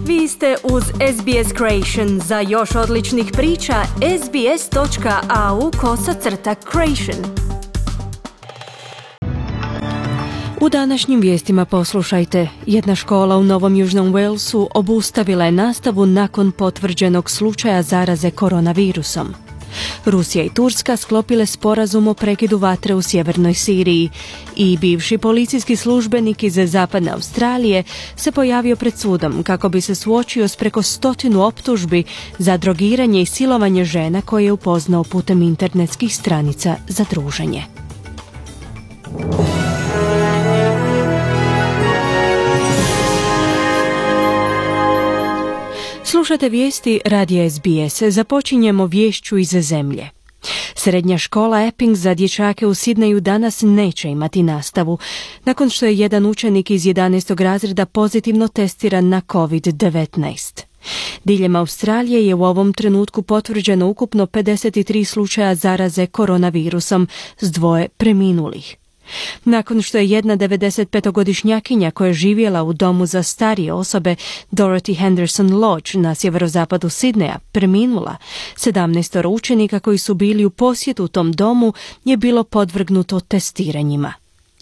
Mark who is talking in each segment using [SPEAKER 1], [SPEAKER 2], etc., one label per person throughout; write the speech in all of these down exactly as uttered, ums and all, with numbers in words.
[SPEAKER 1] Vi ste uz S B S Creation. Za još odličnih priča, sbs.au kosacrta creation. U današnjim vijestima poslušajte. Jedna škola u Novom Južnom Walesu obustavila je nastavu nakon potvrđenog slučaja zaraze koronavirusom. Rusija i Turska sklopile sporazum o prekidu vatre u sjevernoj Siriji i bivši policijski službenik iz zapadne Australije se pojavio pred sudom kako bi se suočio s preko stotinu optužbi za drogiranje i silovanje žena koje je upoznao putem internetskih stranica za druženje. Slušate vijesti radija S B S. Započinjemo viješću iz zemlje. Srednja škola Epping za dječake u Sidneju danas neće imati nastavu, nakon što je jedan učenik iz jedanaestog razreda pozitivno testiran na covid devetnaest. Diljem Australije je u ovom trenutku potvrđeno ukupno pedeset tri slučaja zaraze koronavirusom s dvoje preminulih. Nakon što je jedna devedesetpetogodišnjakinja koja je živjela u domu za starije osobe Dorothy Henderson Lodge na sjeverozapadu Sidneja preminula, sedamnaestoro učenika koji su bili u posjetu u tom domu je bilo podvrgnuto testiranjima.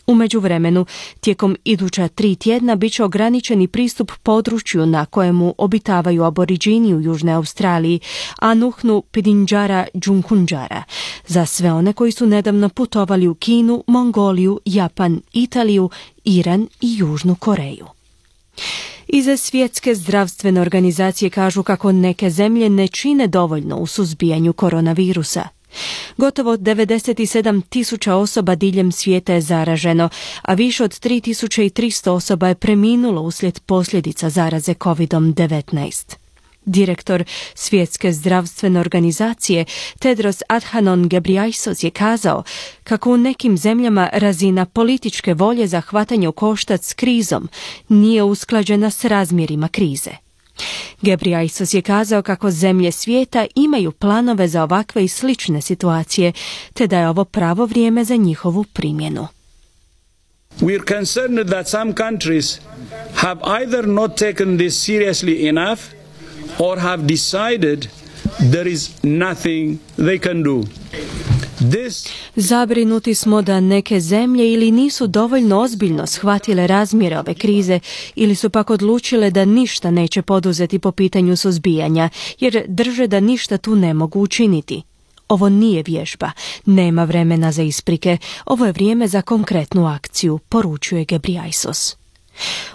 [SPEAKER 1] U međuvremenu, tijekom iduća tri tjedna bit će ograničeni pristup području na kojemu obitavaju aboriđini u Južnoj Australiji, Anuhnu Pidinjara Džunkunđara, za sve one koji su nedavno putovali u Kinu, Mongoliju, Japan, Italiju, Iran i Južnu Koreju. Iz Svjetske zdravstvene organizacije kažu kako neke zemlje ne čine dovoljno u suzbijanju koronavirusa. Gotovo devedeset sedam tisuća osoba diljem svijeta je zaraženo, a više od tri tisuće tristo osoba je preminulo uslijed posljedica zaraze covid devetnaest. Direktor Svjetske zdravstvene organizacije Tedros Adhanom Ghebreyesus je kazao kako u nekim zemljama razina političke volje za hvatanje u koštac s krizom nije usklađena s razmjerima krize. Ghebreyesus je kazao kako zemlje svijeta imaju planove za ovakve i slične situacije, te da je ovo pravo vrijeme za njihovu primjenu.
[SPEAKER 2] We are concerned that some countries have either not taken this seriously enough or have decided there is nothing they can do. This...
[SPEAKER 1] Zabrinuti smo da neke zemlje ili nisu dovoljno ozbiljno shvatile razmjere ove krize ili su pak odlučile da ništa neće poduzeti po pitanju suzbijanja, jer drže da ništa tu ne mogu učiniti. Ovo nije vježba, nema vremena za isprike, ovo je vrijeme za konkretnu akciju, poručuje Ghebreyesus.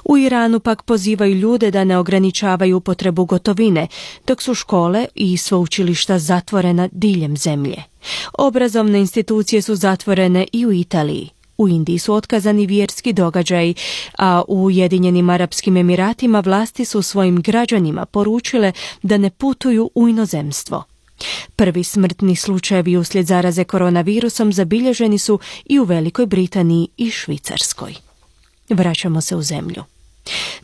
[SPEAKER 1] U Iranu pak pozivaju ljude da ne ograničavaju upotrebu gotovine, dok su škole i sveučilišta zatvorena diljem zemlje. Obrazovne institucije su zatvorene i u Italiji. U Indiji su otkazani vjerski događaji, a u Ujedinjenim Arapskim Emiratima vlasti su svojim građanima poručile da ne putuju u inozemstvo. Prvi smrtni slučajevi uslijed zaraze koronavirusom zabilježeni su i u Velikoj Britaniji i Švicarskoj. Vraćamo se u zemlju.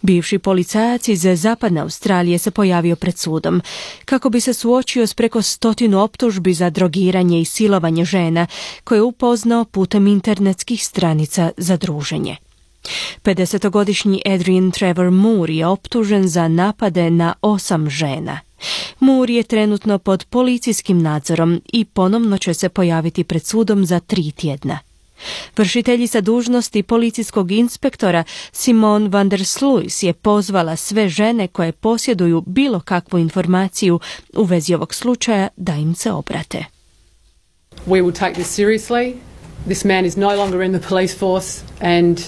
[SPEAKER 1] Bivši policajac iz zapadne Australije se pojavio pred sudom kako bi se suočio s preko stotinu optužbi za drogiranje i silovanje žena koje je upoznao putem internetskih stranica za druženje. pedesetogodišnji Adrian Trevor Moore je optužen za napade na osam žena. Moore je trenutno pod policijskim nadzorom i ponovno će se pojaviti pred sudom za tri tjedna. Vršiteljica dužnosti policijskog inspektora Simone van der Sluis je pozvala sve žene koje posjeduju bilo kakvu informaciju u vezi ovog slučaja da im se obrate.
[SPEAKER 3] We will take this seriously. This man is no longer in the police force and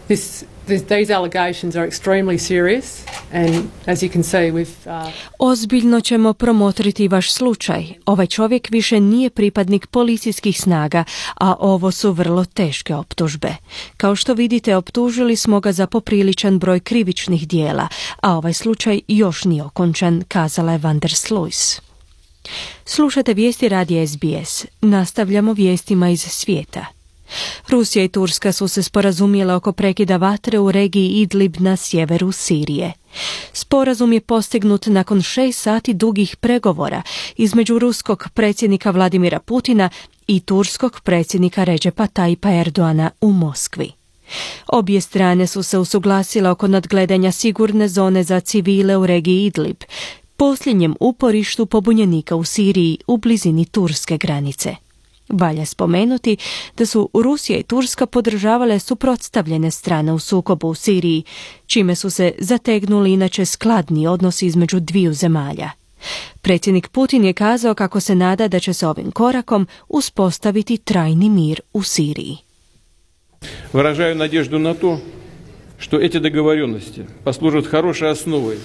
[SPEAKER 3] this These allegations are extremely serious and as you can see we've uh...
[SPEAKER 1] Ozbiljno ćemo promotriti vaš slučaj. Ovaj čovjek više nije pripadnik policijskih snaga, a ovo su vrlo teške optužbe. Kao što vidite, optužili smo ga za popriličan broj krivičnih dijela, a ovaj slučaj još nije okončan, kazala je van der Sluis. Slušate vijesti radija S B S. Nastavljamo vijestima iz svijeta. Rusija i Turska su se sporazumjele oko prekida vatre u regiji Idlib na sjeveru Sirije. Sporazum je postignut nakon šest sati dugih pregovora između ruskog predsjednika Vladimira Putina i turskog predsjednika Recepa Tayyipa Erdoana u Moskvi. Obje strane su se usuglasile oko nadgledanja sigurne zone za civile u regiji Idlib, posljednjem uporištu pobunjenika u Siriji u blizini turske granice. Valja spomenuti da su Rusija i Turska podržavale suprotstavljene strane u sukobu u Siriji, čime su se zategnuli inače skladni odnosi između dviju zemalja. Predsjednik Putin je kazao kako se nada da će se ovim korakom uspostaviti trajni mir u Siriji.
[SPEAKER 4] Выражаю надежду на то, что эти договоренности послужат хорошей основой.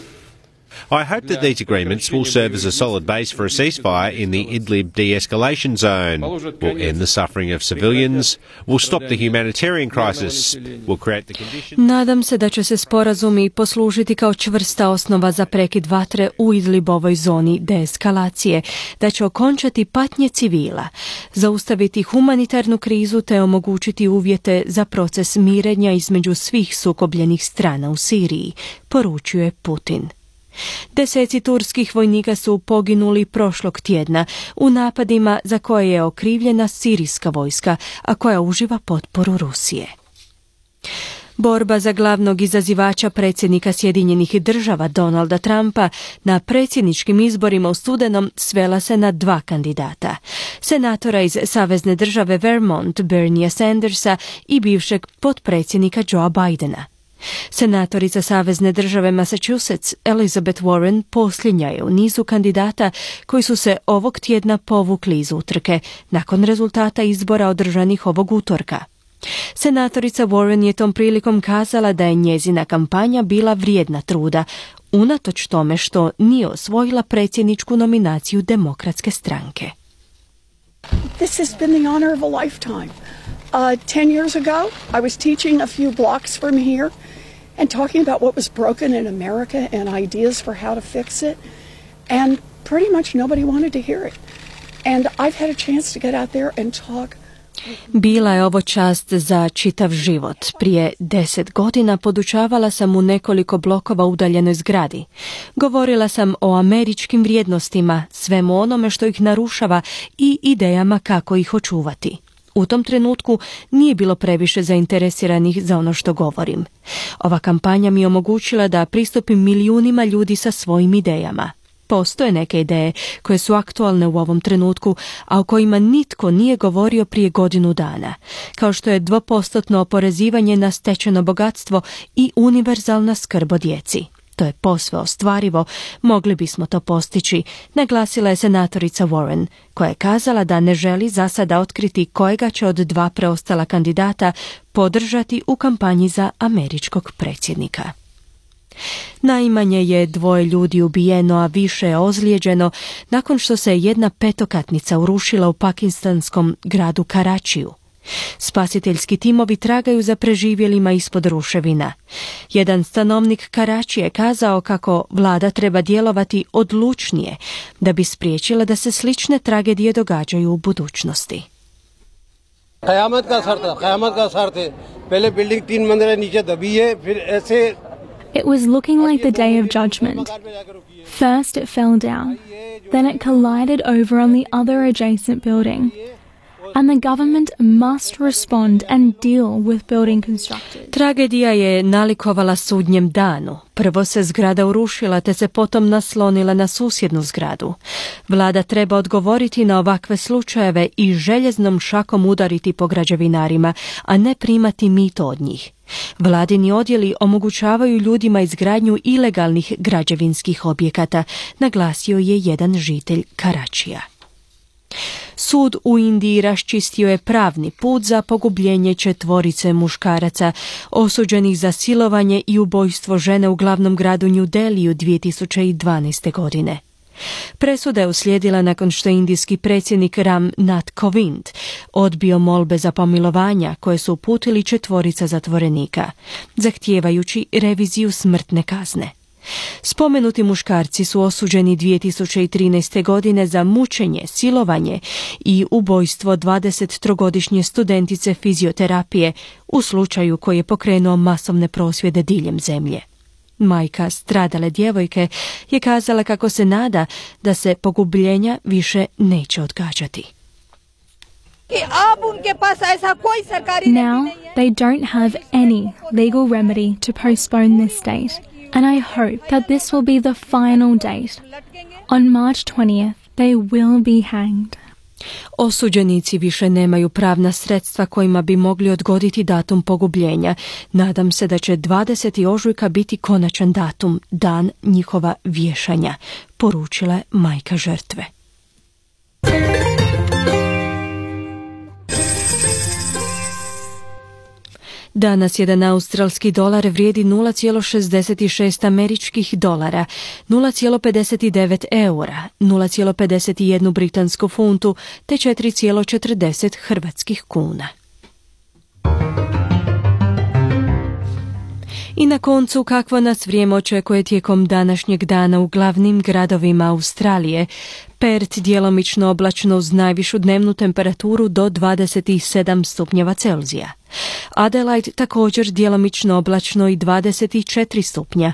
[SPEAKER 5] I hope that these agreements will serve as a solid base for a ceasefire in the Idlib de-escalation zone, will end the suffering of civilians, will stop the humanitarian crisis, will create the conditions...
[SPEAKER 1] Nadam se da će se sporazumi poslužiti kao čvrsta osnova za prekid vatre u Idlibovoj zoni deeskalacije, da će okončati patnje civila, zaustaviti humanitarnu krizu te omogućiti uvjete za proces mirenja između svih sukobljenih strana u Siriji, poručuje Putin. Deseci turskih vojnika su poginuli prošlog tjedna u napadima za koje je okrivljena sirijska vojska, a koja uživa potporu Rusije. Borba za glavnog izazivača predsjednika Sjedinjenih Država Donalda Trumpa na predsjedničkim izborima u studenom svela se na dva kandidata. Senatora iz savezne države Vermont Berniea Sandersa i bivšeg potpredsjednika Joea Bidena. Senatorica savezne države Massachusetts Elizabeth Warren posljednja je u nizu kandidata koji su se ovog tjedna povukli iz utrke nakon rezultata izbora održanih ovog utorka. Senatorica Warren je tom prilikom kazala da je njezina kampanja bila vrijedna truda, unatoč tome što nije osvojila predsjedničku nominaciju Demokratske stranke.
[SPEAKER 6] This has been the honor of a lifetime. Uh, ten years ago, I was teaching a few blocks from here and talking about what was broken in America and ideas for how to fix it. And pretty much nobody wanted to hear it. And I've had a chance to get out there and talk.
[SPEAKER 1] Bila je ovo čast za čitav život. Prije deset godina podučavala sam u nekoliko blokova udaljenoj zgradi. Govorila sam o američkim vrijednostima, svemu onome što ih narušava i idejama kako ih očuvati. U tom trenutku nije bilo previše zainteresiranih za ono što govorim. Ova kampanja mi je omogućila da pristupim milijunima ljudi sa svojim idejama. Postoje neke ideje koje su aktualne u ovom trenutku, a o kojima nitko nije govorio prije godinu dana, kao što je dvopostotno oporezivanje na stečeno bogatstvo i univerzalna skrb o djeci. To je posve ostvarivo, mogli bismo to postići, naglasila je senatorica Warren, koja je kazala da ne želi za sada otkriti kojega će od dva preostala kandidata podržati u kampanji za američkog predsjednika. Najmanje je dvoje ljudi ubijeno, a više je ozlijeđeno nakon što se jedna petokatnica urušila u pakistanskom gradu Karačiju. Spasiteljski timovi tragaju za preživjelima ispod ruševina. Jedan stanovnik Karačije je kazao kako vlada treba djelovati odlučnije da bi spriječila da se slične tragedije događaju u budućnosti.
[SPEAKER 7] क़यामत का सर था क़यामत का सर थे पहले बिल्डिंग तीन मंजिला नीचे दबी है फिर ऐसे.
[SPEAKER 8] It was looking like the day of judgment. First it fell down, then it collided over on the other adjacent building. And the government must respond and deal with building constructors.
[SPEAKER 1] Tragedija je nalikovala sudnjem danu. Prvo se zgrada urušila te se potom naslonila na susjednu zgradu. Vlada treba odgovoriti na ovakve slučajeve i željeznom šakom udariti po građevinarima, a ne primati mito od njih. Vladini odjeli omogućavaju ljudima izgradnju ilegalnih građevinskih objekata, naglasio je jedan žitelj Karačija. Sud u Indiji raščistio je pravni put za pogubljenje četvorice muškaraca osuđenih za silovanje i ubojstvo žene u glavnom gradu New Delhiju dvije tisuće dvanaeste. godine. Presuda je uslijedila nakon što je indijski predsjednik Ram Nath Kovind odbio molbe za pomilovanja koje su uputili četvorica zatvorenika, zahtijevajući reviziju smrtne kazne. Spomenuti muškarci su osuđeni dvije tisuće trinaeste. godine za mučenje, silovanje i ubojstvo dvadesettrogodišnje studentice fizioterapije u slučaju koji je pokrenuo masovne prosvjede diljem zemlje. Majka stradale djevojke je kazala kako se nada da se pogubljenja više neće odgađati.
[SPEAKER 8] Now, they don't have any legal remedy to postpone this date, and I hope that this will be the final date. On March twentieth, they will be hanged.
[SPEAKER 1] Osuđenici više nemaju pravna sredstva kojima bi mogli odgoditi datum pogubljenja. Nadam se da će dvadesetog ožujka biti konačan datum, dan njihova vješanja, poručila je majka žrtve. Danas jedan australski dolar vrijedi nula zarez šezdeset šest američkih dolara, nula zarez pedeset devet eura, nula zarez pedeset jedan britansku funtu te četiri zarez četrdeset hrvatskih kuna. I na koncu, kakvo nas vrijeme očekuje tijekom današnjeg dana u glavnim gradovima Australije. Perth djelomično oblačno uz najvišu dnevnu temperaturu do dvadeset sedam stupnjeva Celzija. Adelaide također djelomično oblačno i dvadeset četiri stupnja.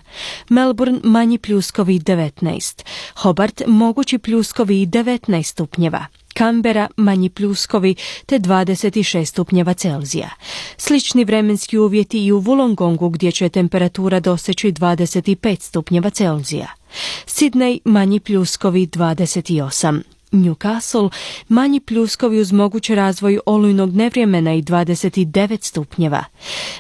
[SPEAKER 1] Melbourne manji pljuskovi devetnaest. Hobart mogući pljuskovi i devetnaest stupnjeva. Canberra manji pljuskovi te dvadeset šest stupnjeva Celzija. Slični vremenski uvjeti i u Wollongongu gdje će temperatura doseći dvadeset pet stupnjeva Celzija. Sydney manji pljuskovi dvadeset osam. Newcastle manji pljuskovi uz mogući razvoj olujnog nevremena i dvadeset devet stupnjeva.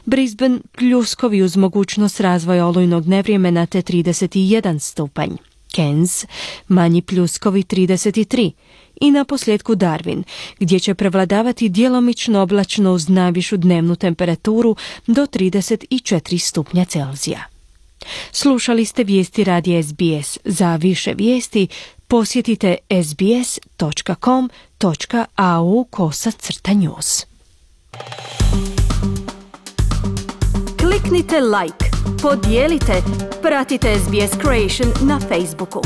[SPEAKER 1] Brisbane pljuskovi uz mogućnost razvoja olujnog nevremena te trideset jedan stupanj. Cairns manji pljuskovi trideset tri. I na posljedku Darwin, gdje će prevladavati djelomično oblačno uz najvišu dnevnu temperaturu do trideset četiri stupnja Celzija. Slušali ste vijesti radija S B S. Za više vijesti posjetite sbs dot com dot a u kosacrta news. Kliknite like, podijelite, pratite S B S Creation na Facebooku.